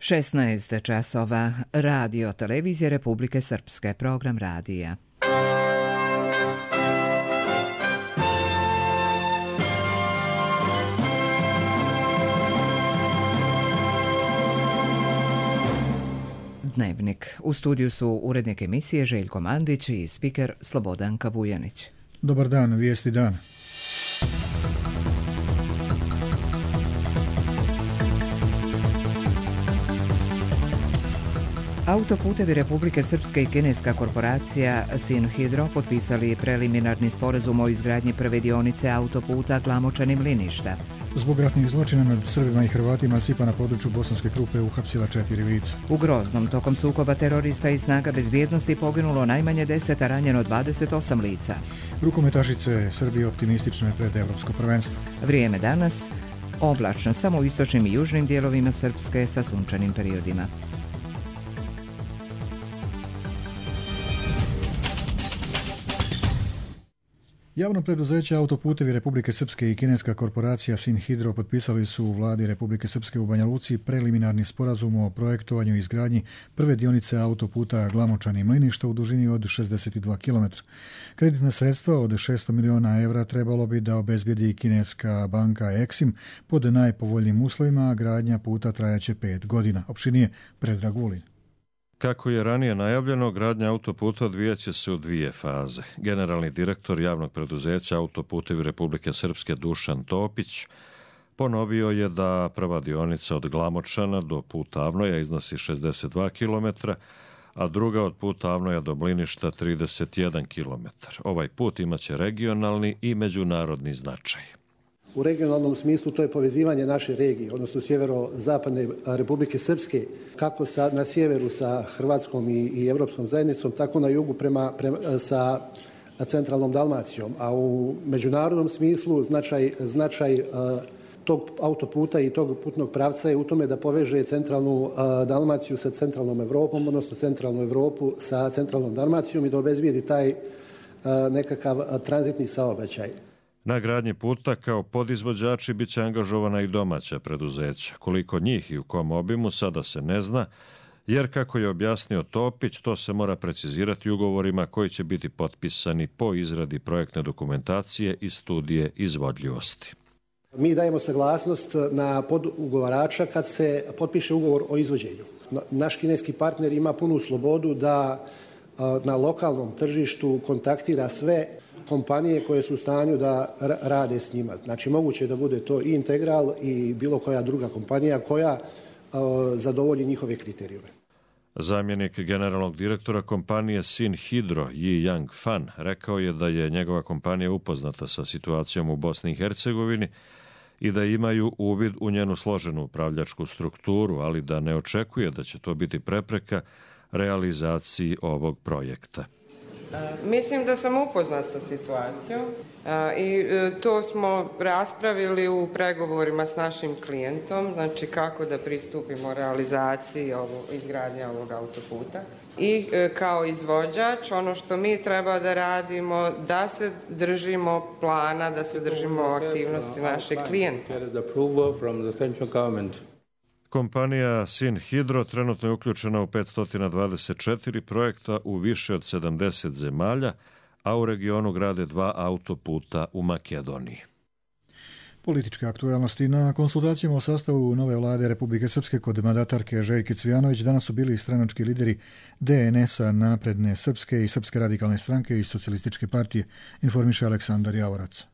16 časova. Radio Televizije Republike Srpske. Program radija. Dnevnik. U studiju su urednik emisije Željko Mandić i spiker Slobodanka Vujanić. Dobar dan, vijesti dana. Autoputevi Republike Srpske i kineska korporacija Sinhidro potpisali preliminarni sporazum o izgradnji prve dionice autoputa Glamočani-Mliništa. Zbog ratnih zločina nad Srbima i Hrvatima SIPA na području Bosanske Krupe uhapsila 4 lica. U Groznom tokom sukoba terorista i snaga bezbjednosti poginulo najmanje 10, a ranjeno 28 lica. Rukometašice Srbije optimistične pred Evropsko prvenstvo. Vrijeme danas oblačno samo u istočnim i južnim dijelovima Srpske sa sunčanim periodima. Javno preduzeće Autoputevi Republike Srpske i kineska korporacija Sinhidro potpisali su u vladi Republike Srpske u Banja Luci preliminarni sporazum o projektovanju i izgradnji prve dionice autoputa Glamočani-Mliništa u dužini od 62 km. Kreditna sredstva od 600 miliona evra trebalo bi da obezbijedi kineska banka Exim pod najpovoljnijim uslovima, a gradnja puta trajaće 5 godina. Opširnije Predrag Vulin. Kako je ranije najavljeno, gradnja autoputa odvijaće se u 2 faze. Generalni direktor javnog preduzeća Autoputevi Republike Srpske Dušan Topić ponovio je da prva dionica od Glamočana do puta Avnoja iznosi 62 km, a druga od puta Avnoja do Mliništa 31 km. Ovaj put imaće regionalni i međunarodni značaj. U regionalnom smislu to je povezivanje naše regije, odnosno sjeverozapadne Republike Srpske, kako na sjeveru sa Hrvatskom i Europskom zajednicom, tako na jugu sa centralnom Dalmacijom. A u međunarodnom smislu značaj tog autoputa i tog putnog pravca je u tome da poveže centralnu Dalmaciju sa centralnom Evropom, odnosno centralnu Evropu sa centralnom Dalmacijom i da obezbijedi taj nekakav tranzitni saobraćaj. Na gradnji puta kao podizvođači bit će angažovana i domaća preduzeća. Koliko njih i u kom obimu sada se ne zna, jer kako je objasnio Topić, to se mora precizirati ugovorima koji će biti potpisani po izradi projektne dokumentacije i studije izvodljivosti. Mi dajemo saglasnost na podugovarača kad se potpiše ugovor o izvođenju. Naš kineski partner ima punu slobodu da na lokalnom tržištu kontaktira sve kompanije koje su u stanju da rade s njima. Znači, moguće je da bude to i Integral i bilo koja druga kompanija koja zadovolji njihove kriterijume. Zamjenik generalnog direktora kompanije Sinhidro Yi Yang Fan rekao je da je njegova kompanija upoznata sa situacijom u Bosni i Hercegovini i da imaju uvid u njenu složenu upravljačku strukturu, ali da ne očekuje da će to biti prepreka realizaciji ovog projekta. Mislim da sam upoznat sa situacijom i to smo raspravili u pregovorima s našim klijentom, znači kako da pristupimo realizaciji izgradnje ovog autoputa. I kao izvođač, ono što mi treba da radimo, da se držimo plana, da se držimo aktivnosti našeg klijenta. Kompanija Sinhidro trenutno je uključena u 524 projekta u više od 70 zemalja, a u regionu grade 2 autoputa u Makedoniji. Političke aktualnosti. Na konsultacijama o sastavu nove vlade Republike Srpske kod mandatarke Željke Cvijanović danas su bili stranački lideri DNS-a, Napredne Srpske i Srpske radikalne stranke i Socijalističke partije, informiše Aleksandar Javorac.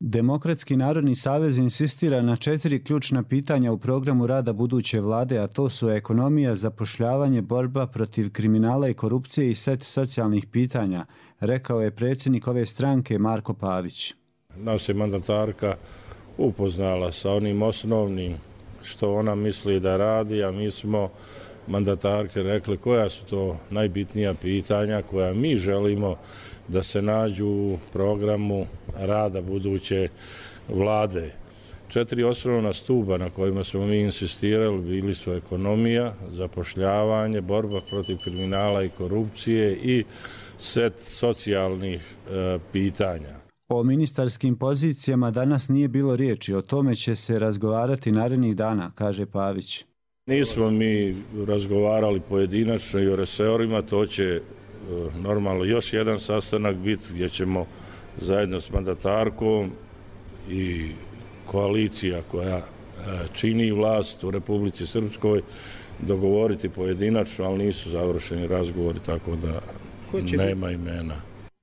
Demokratski narodni savez insistira na 4 ključna pitanja u programu rada buduće vlade, a to su ekonomija, zapošljavanje, borba protiv kriminala i korupcije i set socijalnih pitanja, rekao je predsjednik ove stranke Marko Pavić. Nas je mandatarka upoznala sa onim osnovnim što ona misli da radi, a mi smo mandatarke rekli koja su to najbitnija pitanja koja mi želimo da se nađu u programu rada buduće vlade. 4 osnovna stuba na kojima smo mi insistirali bili su ekonomija, zapošljavanje, borba protiv kriminala i korupcije i set socijalnih pitanja. O ministarskim pozicijama danas nije bilo riječi, o tome će se razgovarati narednih dana, kaže Pavić. Nismo mi razgovarali pojedinačno i o resorima, to će normalno još jedan sastanak biti gdje ćemo zajedno s mandatarkom i koalicija koja čini vlast u Republici Srpskoj dogovoriti pojedinačno, ali nisu završeni razgovori, tako da nema imena.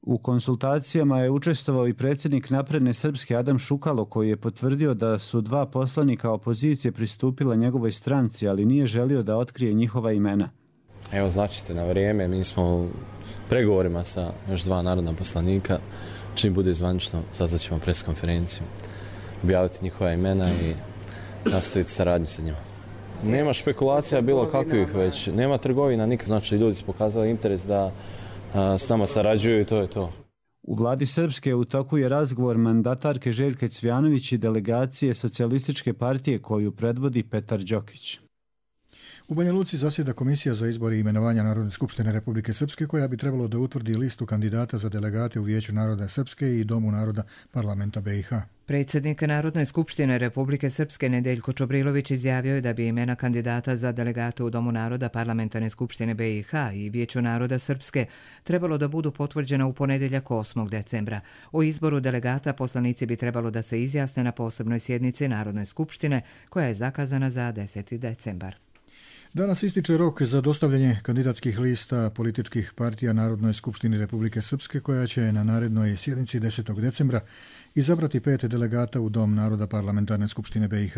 U konsultacijama je učestvovao i predsjednik Napredne Srpske Adam Šukalo, koji je potvrdio da su 2 poslanika opozicije pristupila njegovoj stranci, ali nije želio da otkrije njihova imena. Evo, značite na vrijeme, mi smo u pregovorima sa još 2 narodna poslanika. Čim bude zvanično, sazvaćemo preskonferenciju, objaviti njihova imena i nastaviti saradnju sa njima. Nema špekulacija bilo kakvih već, nema trgovina nikad, znači ljudi su pokazali interes da s nama sarađuju i to je to. U vladi Srpske u toku je razgovor mandatarke Željke Cvjanović i delegacije Socijalističke partije koju predvodi Petar Đokić. U Banja Luci zasjeda Komisija za izbor i imenovanja Narodne skupštine Republike Srpske, koja bi trebalo da utvrdi listu kandidata za delegate u Vijeću naroda Srpske i Domu naroda parlamenta BiH. Predsjednik Narodne skupštine Republike Srpske Nedeljko Čobrilović izjavio je da bi imena kandidata za delegate u Domu naroda parlamentarne skupštine BiH i Vijeću naroda Srpske trebalo da budu potvrđena u ponedjeljak 8. decembra. O izboru delegata poslanici bi trebalo da se izjasne na posebnoj sjednici Narodne skupštine koja je zakazana za 10. decembar. Danas ističe rok za dostavljanje kandidatskih lista političkih partija Narodnoj skupštini Republike Srpske, koja će na narednoj sjednici 10. decembra izabrati 5 delegata u Dom naroda parlamentarne skupštine BiH.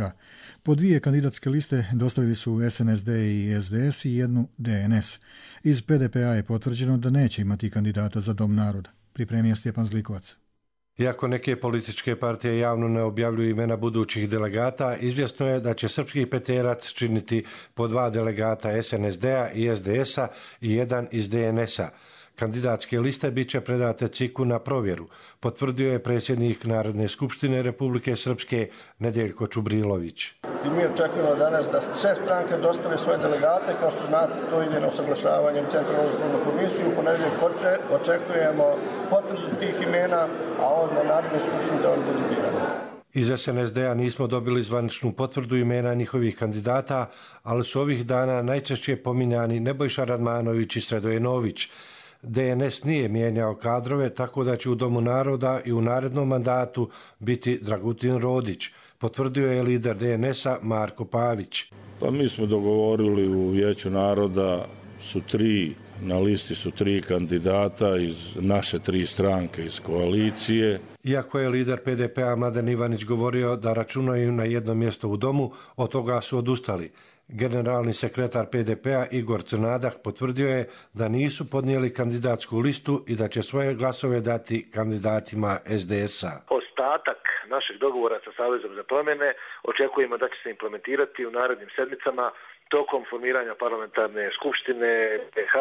Po 2 kandidatske liste dostavili su SNSD i SDS i 1 DNS. Iz PDP-a je potvrđeno da neće imati kandidata za Dom naroda. Pripremio Stjepan Zlikovac. Iako neke političke partije javno ne objavljuju imena budućih delegata, izvjesno je da će srpski peterac činiti po 2 delegata SNSD-a i SDS-a i 1 iz DNS-a. Kandidatske liste bit će predate CIK-u na provjeru, potvrdio je predsjednik Narodne skupštine Republike Srpske Nedeljko Čubrilović. I mi očekujemo danas da sve stranke dostave svoje delegate, kao što znate, to ide na usaglašavanje u Centralnu izbornu komisiju. U ponedjeljak očekujemo potvrdu tih imena, a onda na Narodnoj skupštini da on budu birani. Iz SNSD-a nismo dobili zvaničnu potvrdu imena njihovih kandidata, ali su ovih dana najčešće pominjani Nebojša Radmanović i Sredoje Nović. DNS nije mijenjao kadrove, tako da će u Domu naroda i u narednom mandatu biti Dragutin Rodić, potvrdio je lider DNS-a Marko Pavić. Pa mi smo dogovorili u Vijeću naroda na listi su 3 kandidata iz naše 3 stranke iz koalicije. Iako je lider PDP-a Mladen Ivanić govorio da računaju na jedno mjesto u domu, od toga su odustali. Generalni sekretar PDP-a Igor Crnadak potvrdio je da nisu podnijeli kandidatsku listu i da će svoje glasove dati kandidatima SDS-a. Ostatak našeg dogovora sa Savezom za promjene očekujemo da će se implementirati u narednim sedmicama tokom formiranja parlamentarne skupštine BiH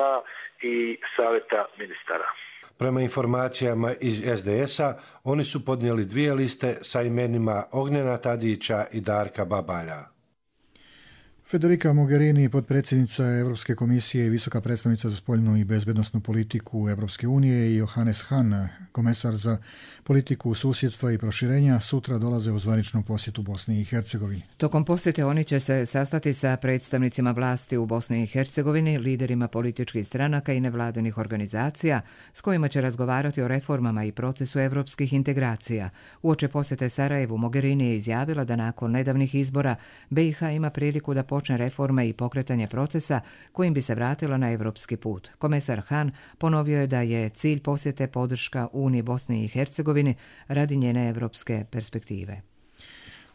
i Saveta ministara. Prema informacijama iz SDS-a, oni su podnijeli 2 liste sa imenima Ognjena Tadića i Darka Babalja. Federica Mogherini, potpredsjednica Europske komisije i visoka predstavnica za spoljnu i bezbednosnu politiku Europske unije, i Johannes Hahn, komesar za politiku susjedstva i proširenja, sutra dolaze u zvaničnu posjetu Bosni i Hercegovini. Tokom posjete oni će se sastati sa predstavnicima vlasti u Bosni i Hercegovini, liderima političkih stranaka i nevladinih organizacija, s kojima će razgovarati o reformama i procesu evropskih integracija. Uoči posjete Sarajevu, Mogherini je izjavila da nakon nedavnih izbora BiH ima priliku da počne reforme i pokretanje procesa kojim bi se vratila na evropski put. Komesar Hahn ponovio je da je cilj posjete podrška Uniji Bosni i Hercegovini radi njene evropske perspektive.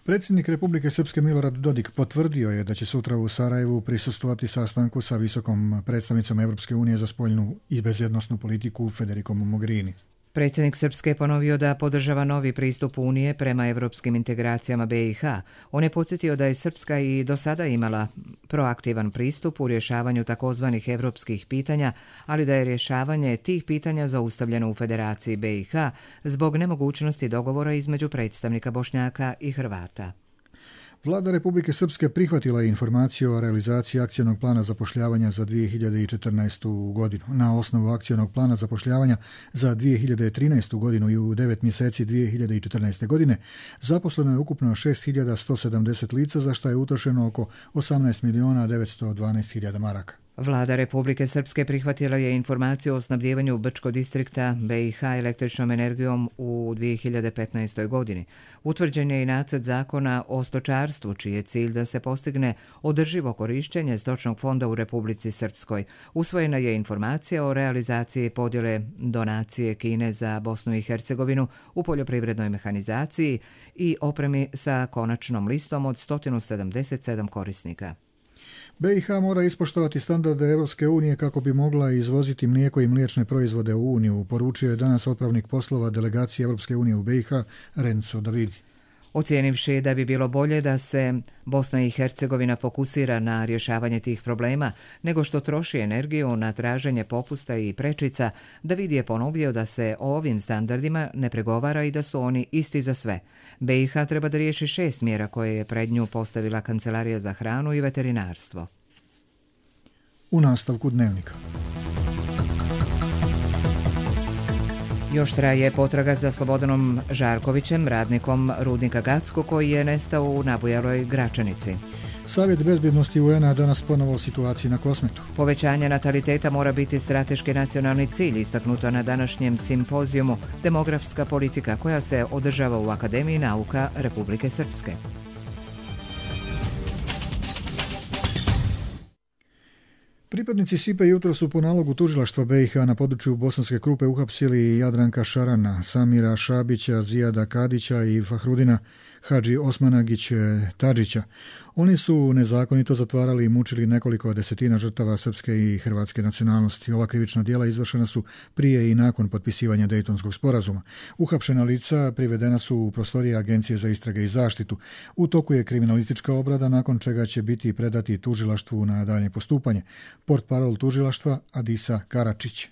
Predsjednik Republike Srpske Milorad Dodik potvrdio je da će sutra u Sarajevu prisustvovati sastanku sa visokom predstavnicom Evropske unije za spoljnu i bezbednosnu politiku Federicom Mogherini. Predsjednik Srpske je ponovio da podržava novi pristup Unije prema evropskim integracijama BiH. On je podsjetio da je Srpska i do sada imala proaktivan pristup u rješavanju takozvanih evropskih pitanja, ali da je rješavanje tih pitanja zaustavljeno u Federaciji BiH zbog nemogućnosti dogovora između predstavnika Bošnjaka i Hrvata. Vlada Republike Srpske prihvatila je informaciju o realizaciji akcionog plana zapošljavanja za 2014. godinu. Na osnovu akcionog plana zapošljavanja za 2013. godinu i u 9 mjeseci 2014. godine zaposleno je ukupno 6.170 lica, za što je utrošeno oko 18.912.000 maraka. Vlada Republike Srpske prihvatila je informaciju o snabdijevanju Brčko distrikta BiH električnom energijom u 2015. godini. Utvrđen je i nacrt zakona o stočarstvu, čiji je cilj da se postigne održivo korištenje stočnog fonda u Republici Srpskoj. Usvojena je informacija o realizaciji podjele donacije Kine za Bosnu i Hercegovinu u poljoprivrednoj mehanizaciji i opremi sa konačnom listom od 177 korisnika. BiH mora ispoštovati standarde Europske unije kako bi mogla izvoziti mlijeko i mliječne proizvode u Uniju, poručio je danas otpravnik poslova delegacije Europske unije u BiH Renzo Davidi. Ocijenivši da bi bilo bolje da se Bosna i Hercegovina fokusira na rješavanje tih problema nego što troši energiju na traženje popusta i prečica, David je ponovio da se o ovim standardima ne pregovara i da su oni isti za sve. BiH treba da riješi 6 mjera koje je pred nju postavila Kancelarija za hranu i veterinarstvo. U nastavku dnevnika. Još traje potraga za Slobodanom Žarkovićem, radnikom rudnika Gacko, koji je nestao u nabujaloj Gračanici. Savjet bezbjednosti UN-a danas ponovo o situaciji na Kosmetu. Povećanje nataliteta mora biti strateški nacionalni cilj, istaknuto na današnjem simpozijumu Demografska politika, koja se održava u Akademiji nauka Republike Srpske. Pripadnici SIPA jutro su po nalogu tužilaštva BiH na području Bosanske Krupe uhapsili Jadranka Šarana, Samira Šabića, Zijada Kadića i Fahrudina Hadži Osmanagić Tadžića. Oni su nezakonito zatvarali i mučili nekoliko desetina žrtava srpske i hrvatske nacionalnosti. Ova krivična djela izvršena su prije i nakon potpisivanja Dejtonskog sporazuma. Uhapšena lica privedena su u prostorije Agencije za istrage i zaštitu. U toku je kriminalistička obrada, nakon čega će biti predati tužilaštvu na daljnje postupanje. Portparol tužilaštva Adisa Karačić.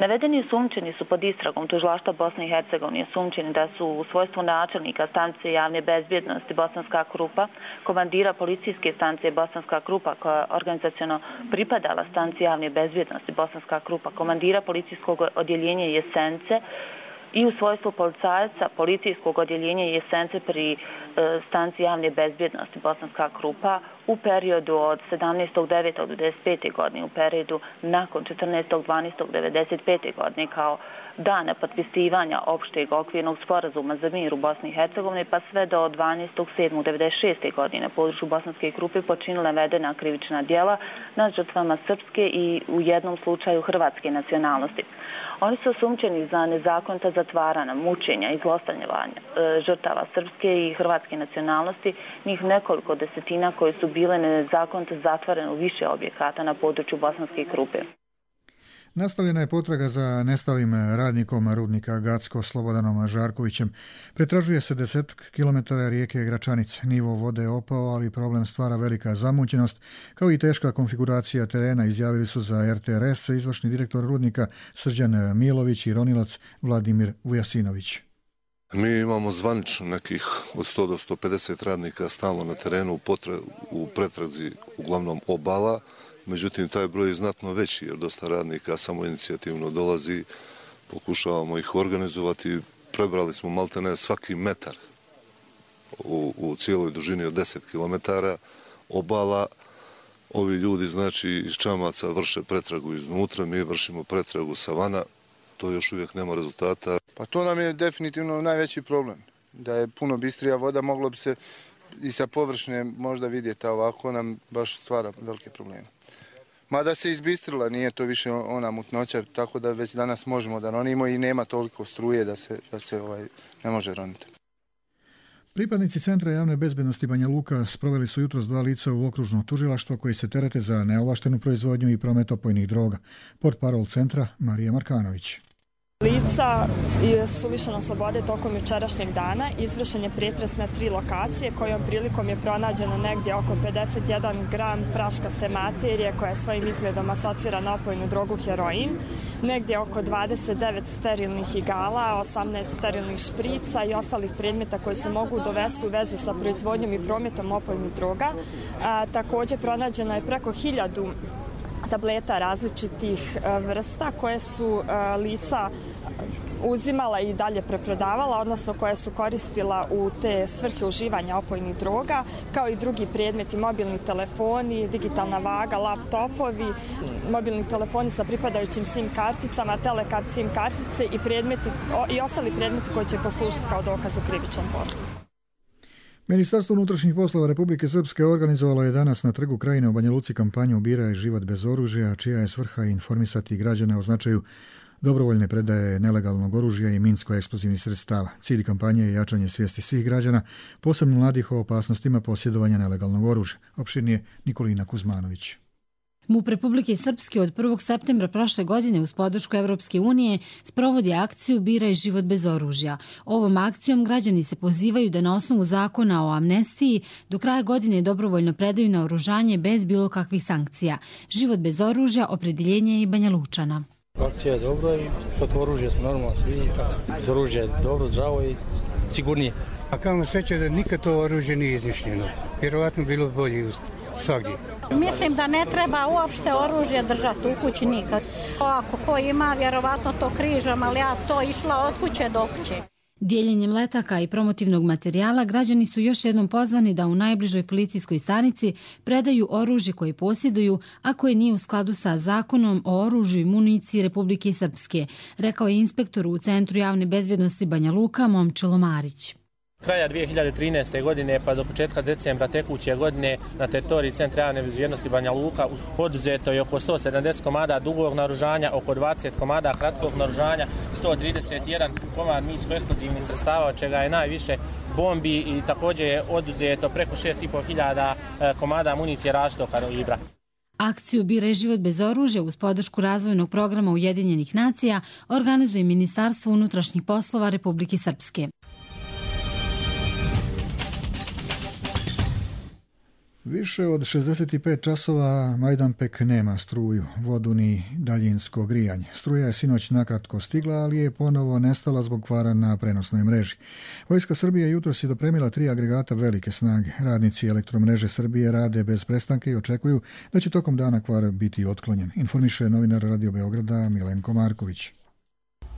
Navedeni osumnjičeni su pod istragom tužilaštva Bosne i Hercegovine osumnjičeni da su u svojstvu načelnika stanice javne bezbjednosti Bosanska Krupa, komandira policijske stanice Bosanska Krupa koja organizaciono pripadala stanici javne bezbjednosti Bosanska Krupa, komandira policijskog odjeljenja Jesence i u svojstvu policajaca policijskog odjeljenja Jesence pri stanici javne bezbjednosti Bosanska Krupa u periodu od 17.9. do 95. godine, u periodu nakon 14.12.95. godine kao dana potpisivanja opšteg okvirnog sporazuma za mir u Bosni i Hercegovini pa sve do 12.7.96. godine na području Bosanske Krupe počinila navedena krivična djela nad žrtvama srpske i u jednom slučaju hrvatske nacionalnosti. Oni su osumnjičeni za nezakonita zatvaranja, mučenja i zlostavljanja žrtava srpske i hrvatske nacionalnosti, njih nekoliko desetina koje su bile nezakonito zatvorene u više objekata na području Bosanske Krupe. Nastavljena je potraga za nestalim radnikom rudnika Gacko Slobodanom Žarkovićem. Pretražuje se 10 km rijeke Gračanice. Nivo vode je opao, ali problem stvara velika zamućenost, kao i teška konfiguracija terena, izjavili su za RTRS izvršni direktor rudnika Srđan Milović i ronilac Vladimir Vujasinović. Mi imamo zvanično nekih od 100 do 150 radnika stalno na terenu u pretrazi uglavnom obala. Međutim, taj broj je znatno veći jer dosta radnika samoinicijativno dolazi, pokušavamo ih organizovati. Prebrali smo maltene svaki metar u cijeloj dužini od 10 km obala. Ovi ljudi, znači, iz čamaca vrše pretragu iznutra, mi vršimo pretragu sa vana. To još uvijek nema rezultata. Pa to nam je definitivno najveći problem. Da je puno bistrija voda, moglo bi se i sa površine možda vidjeti, a ovako nam baš stvara velike probleme. Mada se izbistrila, nije to više ona mutnoća, tako da već danas možemo da ronimo i nema toliko struje da se ne može roniti. Pripadnici Centra javne bezbjednosti Banja Luka sproveli su jutros 2 lica u okružno tužilaštvo koji se terete za neovlaštenu proizvodnju i promet opojnih droga. Portparol centra Marija Markanović. Lica su lišena slobode tokom jučerašnjeg dana. Izvršen je pretres na 3 lokacije kojom prilikom je pronađeno negdje oko 51 gram praškaste materije koja svojim izgledom asocira na opojnu drogu heroin, negdje oko 29 sterilnih igala, 18 sterilnih šprica i ostalih predmeta koji se mogu dovesti u vezu sa proizvodnjom i prometom opojnih droga. Također pronađeno je preko 1000 tableta različitih vrsta koje su lica uzimala i dalje preprodavala, odnosno koje su koristila u te svrhe uživanja opojnih droga, kao i drugi predmeti, mobilni telefoni, digitalna vaga, laptopovi, mobilni telefoni sa pripadajućim SIM karticama, telekart SIM kartice i ostali predmeti koji će poslužiti kao dokaz u krivičnom postupku. Ministarstvo unutrašnjih poslova Republike Srpske organizovalo je danas na Trgu Krajine u Banja Luci kampanju Biraj život bez oružja, čija je svrha informisati građane o značaju dobrovoljne predaje nelegalnog oružja i minsko-eksplozivnih sredstava. Cilj kampanje je jačanje svijesti svih građana, posebno mladih, o opasnostima posjedovanja nelegalnog oružja. Opširnije Nikolina Kuzmanović. MUP Republike Srpske od 1. septembra prošle godine uz podršku Evropske unije sprovodi akciju Biraj život bez oružja. Ovom akcijom građani se pozivaju da na osnovu zakona o amnestiji do kraja godine dobrovoljno predaju naoružanje bez bilo kakvih sankcija. Život bez oružja opredjeljenje je i Banja Lučana. Akcija je dobra i protiv oružja smo normalno svi. Bez oružja je dobro, zdravo i sigurnije. A kamo sreće da nikad to oružje nije izmišljeno. Vjerovatno bilo bolje svagdje. Mislim da ne treba uopšte oružje držati u kući nikad. Ako ko ima, vjerovatno to križam, ali ja to išla od kuće do kuće. Dijeljenjem letaka i promotivnog materijala građani su još jednom pozvani da u najbližoj policijskoj stanici predaju oružje koje posjeduju, a koje nije u skladu sa zakonom o oružju i municiji Republike Srpske, rekao je inspektor u Centru javne bezbjednosti Banja Luka Momčilo Marić. Kraja 2013. godine pa do početka decembra tekuće godine na teritoriji Centra javne bezbjednosti Banja Luka oduzeto je oko 170 komada dugog naoružanja, oko 20 komada kratkog naoružanja, 131 komad minsko-eksplozivnih sredstava, od čega je najviše bombi i također je oduzeto preko 6.500 komada municije različitog kalibra. Akciju Biraj život bez oružja uz podršku razvojnog programa Ujedinjenih nacija organizuje Ministarstvo unutrašnjih poslova Republike Srpske. Više od 65 časova Majdanpek nema struju, vodu ni daljinsko grijanje. Struja je sinoć nakratko stigla, ali je ponovo nestala zbog kvara na prenosnoj mreži. Vojska Srbije jutros je dopremila 3 agregata velike snage. Radnici Elektromreže Srbije rade bez prestanke i očekuju da će tokom dana kvar biti otklonjen. Informiše novinar Radio Beograda Milenko Marković.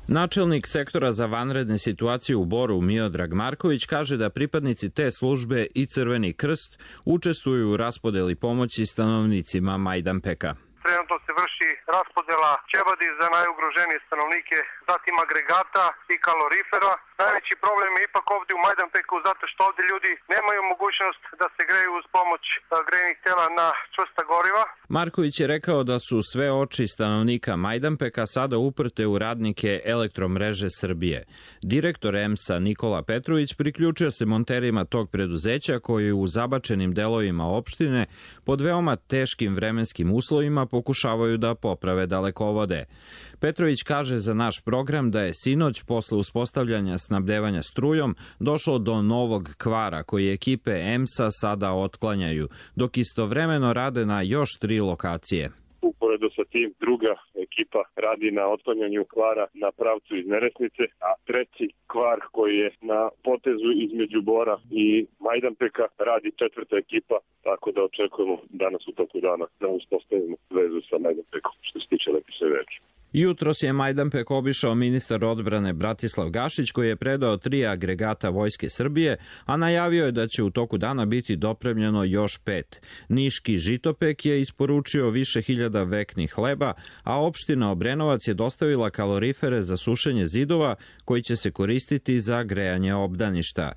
Načelnik sektora za vanredne situacije u Boru Miodrag Marković kaže da pripadnici te službe i Crveni krst učestvuju u raspodeli pomoći stanovnicima Majdanpeka. Trenutno se vrši raspodela ćebadi za najugroženije stanovnike, zatim agregata i kalorifera. Najveći problem je ipak ovdje u Majdanpeku zato što ovdje ljudi nemaju mogućnost da se greju uz pomoć grejnih tela na čvrsta goriva. Marković je rekao da su sve oči stanovnika Majdanpeka sada uprte u radnike Elektromreže Srbije. Direktor EMS-a Nikola Petrović priključio se monterima tog preduzeća koji u zabačenim delovima opštine pod veoma teškim vremenskim uslovima pokušavaju da poprave dalekovode. Petrović kaže za naš program da je sinoć posle uspostavljanja snabdevanja strujom došlo do novog kvara koji ekipe EMS-a sada otklanjaju, dok istovremeno rade na još 3 lokacije. Uporedo sa tim druga ekipa radi na otklanjanju kvara na pravcu iz Neresnice, a treći kvar koji je na potezu između Bora i Majdanpeka radi 4. ekipa, tako da očekujemo danas u toku dana da uspostavimo vezu sa Majdanpekom što se tiče električne mreže. Jutros je Majdanpek obišao ministar odbrane Bratislav Gašić koji je predao 3 agregata Vojske Srbije, a najavio je da će u toku dana biti dopremljeno još 5. Niški Žitopek je isporučio više hiljada veknih hleba, a opština Obrenovac je dostavila kalorifere za sušenje zidova koji će se koristiti za grejanje obdaništa.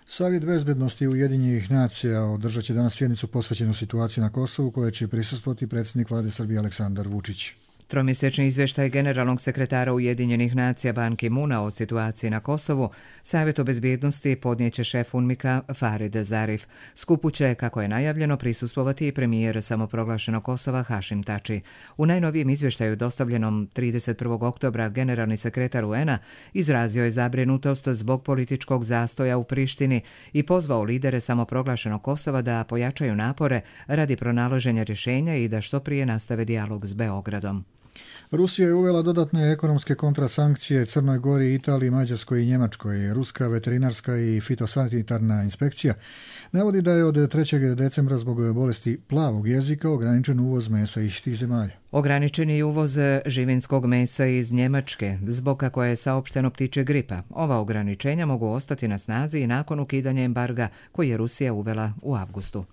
Savjet bezbednosti Ujedinjenih nacija održat će danas sjednicu posvećenu situaciji na Kosovu koje će prisustvovati predsjednik vlade Srbije Aleksandar Vučić. Tromjesečni izvještaj generalnog sekretara Ujedinjenih nacija Ban Ki-moona o situaciji na Kosovu Savjetu bezbjednosti podnijeće šef UNMIK-a Farid Zarif. Skupu će, kako je najavljeno, prisustvovati i premijer samoproglašenog Kosova Hašim Tači. U najnovijem izvještaju dostavljenom 31. oktobra generalni sekretar UN-a izrazio je zabrinutost zbog političkog zastoja u Prištini i pozvao lidere samoproglašenog Kosova da pojačaju napore radi pronalaženja rješenja i da što prije nastave dijalog s Beogradom. Rusija je uvela dodatne ekonomske kontrasankcije Crnoj Gori, Italiji, Mađarskoj i Njemačkoj. Ruska veterinarska i fitosanitarna inspekcija navodi da je od 3. decembra zbog bolesti plavog jezika ograničen uvoz mesa iz tih zemalja. Ograničen je uvoz živinskog mesa iz Njemačke, zbog kako je saopšteno ptičje gripa. Ova ograničenja mogu ostati na snazi i nakon ukidanja embarga koji je Rusija uvela u avgustu.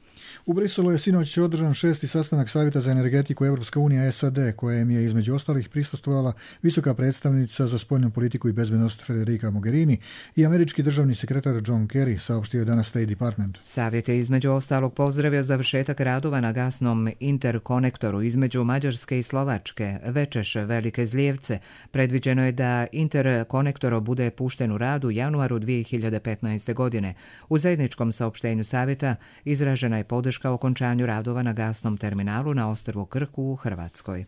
U Briselu je sinoć održan 6. sastanak Savjeta za energetiku Europska unija SAD, kojem je između ostalih prisustvovala visoka predstavnica za spoljnu politiku i bezbednost Federica Mogherini i američki državni sekretar John Kerry, saopštio je danas State Department. Savjet je između ostalog pozdravio završetak radova na gasnom interkonektoru između Mađarske i Slovačke, Večeš Velike Zlijevce. Predviđeno je da interkonektor bude pušten u rad u januaru 2015. godine. U zajedničkom saopštenju Savjeta izražena je podrška okončanju radova na gasnom terminalu na ostrvu Krku u Hrvatskoj.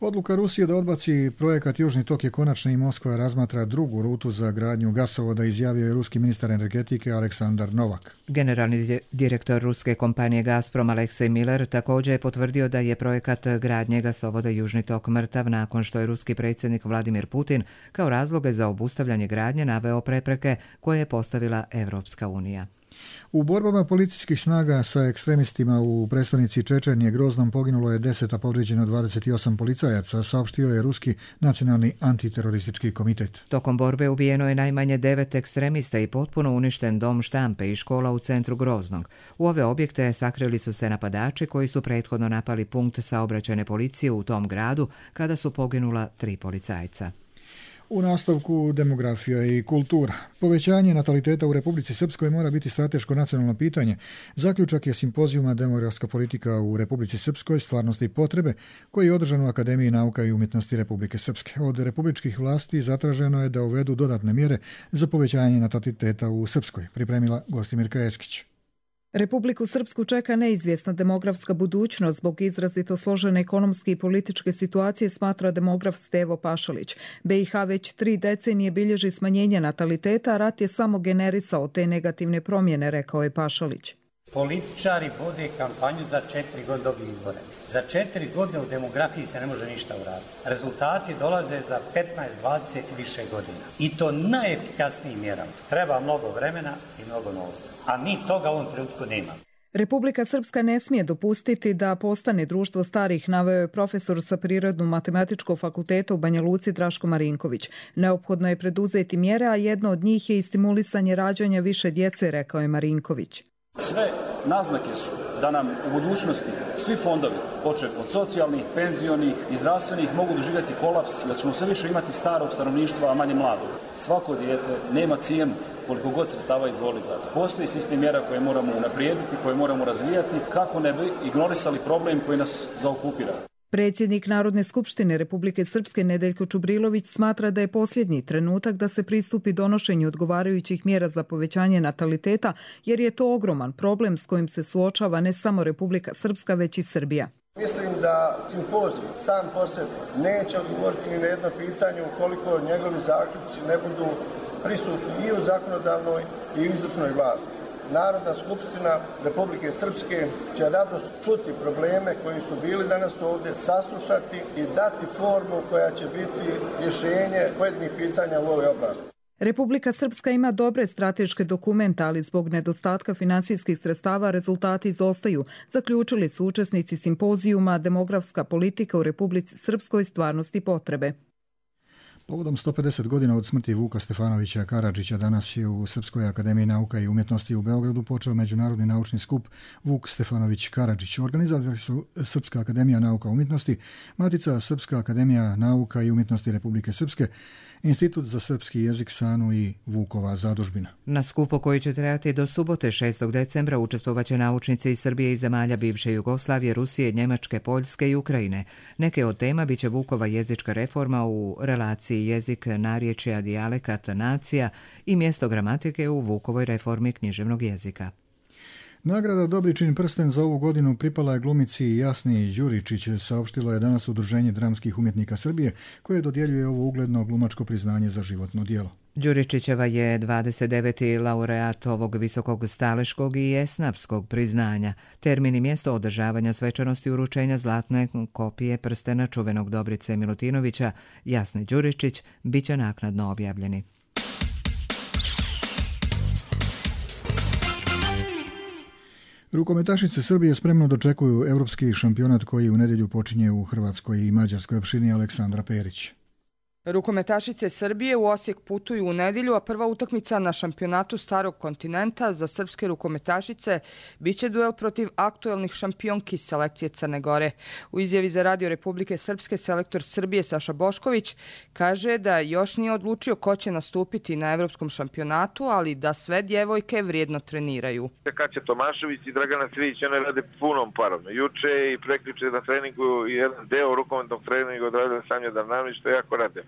Odluka Rusije da odbaci projekat Južni tok je konačna i Moskva razmatra drugu rutu za gradnju gasovoda, izjavio je ruski ministar energetike Aleksandar Novak. Generalni direktor ruske kompanije Gazprom Aleksej Miller također je potvrdio da je projekat gradnje gasovoda Južni tok mrtav nakon što je ruski predsjednik Vladimir Putin kao razloge za obustavljanje gradnje naveo prepreke koje je postavila Evropska unija. U borbama policijskih snaga sa ekstremistima u prestonici Čečenije Groznom poginulo je 10, a povrijeđeno 28 policajaca, saopštio je Ruski nacionalni antiteroristički komitet. Tokom borbe ubijeno je najmanje 9 ekstremista i potpuno uništen dom štampe i škola u centru Groznog. U ove objekte sakrili su se napadači koji su prethodno napali punkt saobraćajne policije u tom gradu kada su poginula 3 policajca. U nastavku demografija i kultura. Povećanje nataliteta u Republici Srpskoj mora biti strateško nacionalno pitanje. Zaključak je simpozijuma Demografska politika u Republici Srpskoj, stvarnosti i potrebe, koji je održan u Akademiji nauka i umjetnosti Republike Srpske. Od republičkih vlasti zatraženo je da uvedu dodatne mjere za povećanje nataliteta u Srpskoj, pripremila Gostimirka Eskić. Republiku Srpsku čeka neizvjesna demografska budućnost zbog izrazito složene ekonomske i političke situacije, smatra demograf Stevo Pašalić. BiH već 3 decenije bilježi smanjenje nataliteta, a rat je samo generisao te negativne promjene, rekao je Pašalić. Političari vode kampanju za 4 godine dobiju izbore. Za 4 godine u demografiji se ne može ništa uraditi. Rezultati dolaze za 15, 20 i više godina. I to najefikasnijim mjerama. Treba mnogo vremena i mnogo novca. A mi toga u ovom trenutku nemamo. Republika Srpska ne smije dopustiti da postane društvo starih, naveo je profesor sa Prirodno-matematičkog fakulteta u Banja Luci Draško Marinković. Neophodno je preduzeti mjere, a jedno od njih je i stimulisanje rađanja više djece, rekao je Marinković. Sve naznake su da nam u budućnosti svi fondovi, počev od socijalnih, penzionih i zdravstvenih, mogu doživjeti kolaps, da ćemo sve više imati starog stanovništva, a manje mladog. Svako dijete nema cijenu koliko god sredstava izvoli za to. Postoji sistem mjera koje moramo unaprijediti, koje moramo razvijati, kako ne bi ignorisali problem koji nas zaokupira. Predsjednik Narodne skupštine Republike Srpske Nedeljko Čubrilović smatra da je posljednji trenutak da se pristupi donošenju odgovarajućih mjera za povećanje nataliteta, jer je to ogroman problem s kojim se suočava ne samo Republika Srpska, već i Srbija. Mislim da simpozij sam po sebi neće odgovoriti ni na jedno pitanje ukoliko njegovi zaključci ne budu prisutni i u zakonodavnoj i u izvršnoj vlasti. Narodna skupština Republike Srpske će rado čuti probleme koji su bili danas ovdje, saslušati i dati formu koja će biti rješenje pojedinih pitanja u ovoj oblasti. Republika Srpska ima dobre strateške dokumente, ali zbog nedostatka finansijskih sredstava rezultati izostaju, zaključili su učesnici simpozijuma Demografska politika u Republici Srpskoj, stvarnosti i potrebe. Povodom 150 godina od smrti Vuka Stefanovića Karadžića danas je u Srpskoj akademiji nauka i umjetnosti u Beogradu počeo međunarodni naučni skup Vuk Stefanović Karadžić. Organizatori su Srpska akademija nauka i umjetnosti, Matica Srpska akademija nauka i umjetnosti Republike Srpske, Institut za srpski jezik SANU i Vukova zadužbina. Na skupu koji će trajati do subote 6. decembra učestvovaće naučnici iz Srbije i zemalja bivše Jugoslavije, Rusije, Njemačke, Poljske i Ukrajine. Neke od tema biće Vukova jezička reforma u relaciji jezik, narječja, dijalekat, nacija i mjesto gramatike u Vukovoj reformi književnog jezika. Nagrada Dobričin prsten za ovu godinu pripala je glumici Jasni Đuričić, saopštilo je danas Udruženje dramskih umjetnika Srbije, koje dodjeljuje ovo ugledno glumačko priznanje za životno djelo. Đuričićeva je 29. laureat ovog visokog staleškog i esnafskog priznanja. Termin i mjesto održavanja svečanosti uručenja zlatne kopije prstena čuvenog Dobrice Milutinovića Jasni Đuričić bit će naknadno objavljeni. Rukometašice Srbije spremno dočekuju europski šampionat koji u nedjelju počinje u Hrvatskoj i Mađarskoj opštini Aleksandra Perić. Rukometašice Srbije u Osijek putuju u nedjelju, a prva utakmica na šampionatu Starog kontinenta za srpske rukometašice biće duel protiv aktuelnih šampionki selekcije Crne Gore. U izjavi za Radio Republike Srpske selektor Srbije Saša Bošković kaže da još nije odlučio ko će nastupiti na evropskom šampionatu, ali da sve djevojke vrijedno treniraju. Kaća Tomašević i Dragana Cvijić, one rade punom parom. Juče i prekriče na treningu jedan deo rukometnog treninga odradili Sanja Darnavnić, što jako rade.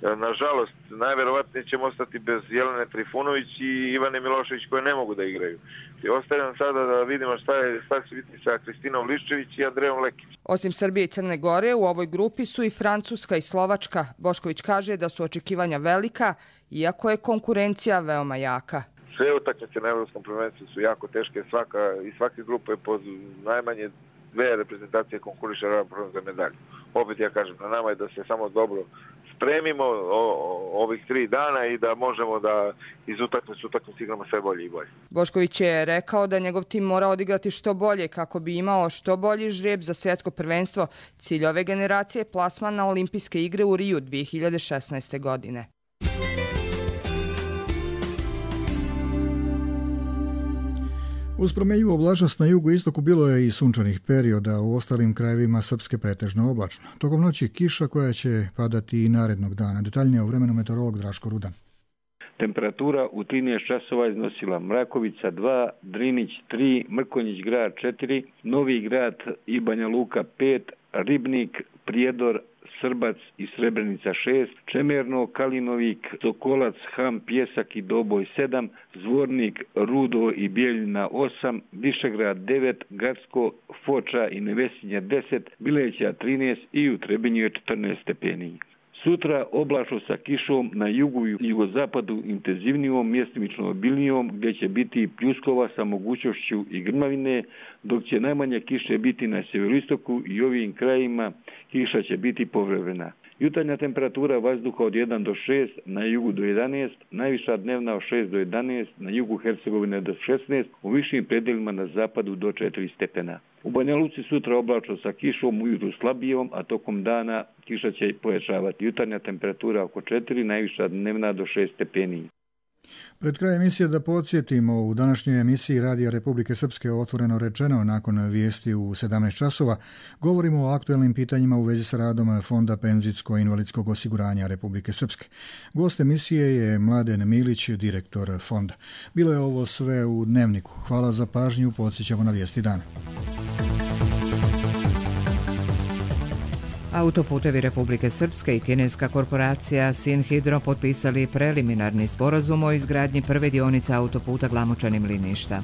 Nažalost, najverovatnije ćemo ostati bez Jelene Trifunović i Ivane Milošević koje ne mogu da igraju. I ostaje nam sada da vidimo šta će biti sa Kristinom Liščević i Andrejom Lekić. Osim Srbije i Crne Gore, u ovoj grupi su i Francuska i Slovačka. Bošković kaže da su očekivanja velika, iako je konkurencija veoma jaka. Sve utakmice na evropskom prvenstvu su jako teške, svake grupe po najmanje dve reprezentacije konkuriše ravnopravno za medalju. Opet ja kažem, na nama je da se samo dobro spremimo ovih 3 dana i da možemo da iz utakmice igramo sve bolje i bolje. Bošković je rekao da njegov tim mora odigrati što bolje kako bi imao što bolji žrijeb za svjetsko prvenstvo. Cilj ove generacije je plasman na olimpijske igre u Riju 2016. godine. Uz promjenjivu oblačnost na jugu i istoku bilo je i sunčanih perioda, u ostalim krajevima Srpske pretežno oblačno. Tokom noći kiša koja će padati i narednog dana. Detaljnije o vremenu meteorolog Draško Rudan. Temperatura u 13 časova iznosila Mrakovica 2, Drinić 3, Mrkonjić grad 4, Novi grad i Banja Luka 5, Ribnik, Prijedor, Srbac i Srebrenica 6, Čemerno, Kalinovik, Sokolac, Ham, Pjesak i Doboj 7, Zvornik, Rudo i Bijeljina 8, Višegrad 9, Gacko, Foča i Nevesinja 10, Bileća 13 i u Trebinju je 14 stepeni. Sutra oblačno sa kišom na jugu i jugozapadu intenzivnijom, mjestimično obilnijom, gdje će biti pljuskova sa mogućnošću i grmavine, dok će najmanje kiše biti na sjeveroistoku i ovim krajima kiša će biti povremena. Jutarnja temperatura vazduha od 1 do 6, na jugu do 11, najviša dnevna od 6 do 11, na jugu Hercegovine do 16, u višim predelima na zapadu do 4 stepena. U Banja Luci sutra oblačno sa kišom, ujutru slabijom, a tokom dana kiša će pojačavati. Jutarnja temperatura oko 4, najviša dnevna do 6 stepeni. Pred kraj emisije da podsjetimo, u današnjoj emisiji Radija Republike Srpske otvoreno rečeno nakon vijesti u 17 časova govorimo o aktuelnim pitanjima u vezi sa radom Fonda penzijsko-invalidskog osiguranja Republike Srpske. Gost emisije je Mladen Milić, direktor fonda. Bilo je ovo sve u Dnevniku. Hvala za pažnju, podsjećamo na vijesti dana. Autoputevi Republike Srpske i kineska korporacija Sinhidro potpisali preliminarni sporazum o izgradnji prve dionice autoputa Glamočanin-Liništa.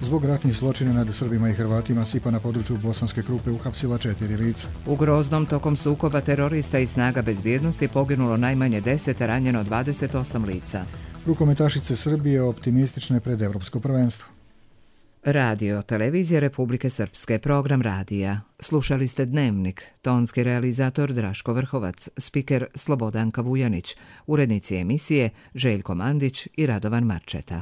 Zbog ratnih zločina nad Srbima i Hrvatima SIPA na području Bosanske Krupe uhapsila 4 lica. U Groznom tokom sukoba terorista i snaga bezbjednosti poginulo najmanje 10, ranjeno 28 lica. Rukometašice Srbije optimistične pred evropsko prvenstvo. Radio, televizija Republike Srpske, program radija. Slušali ste Dnevnik, tonski realizator Draško Vrhovac, spiker Slobodanka Vujanić, urednici emisije Željko Mandić i Radovan Marčeta.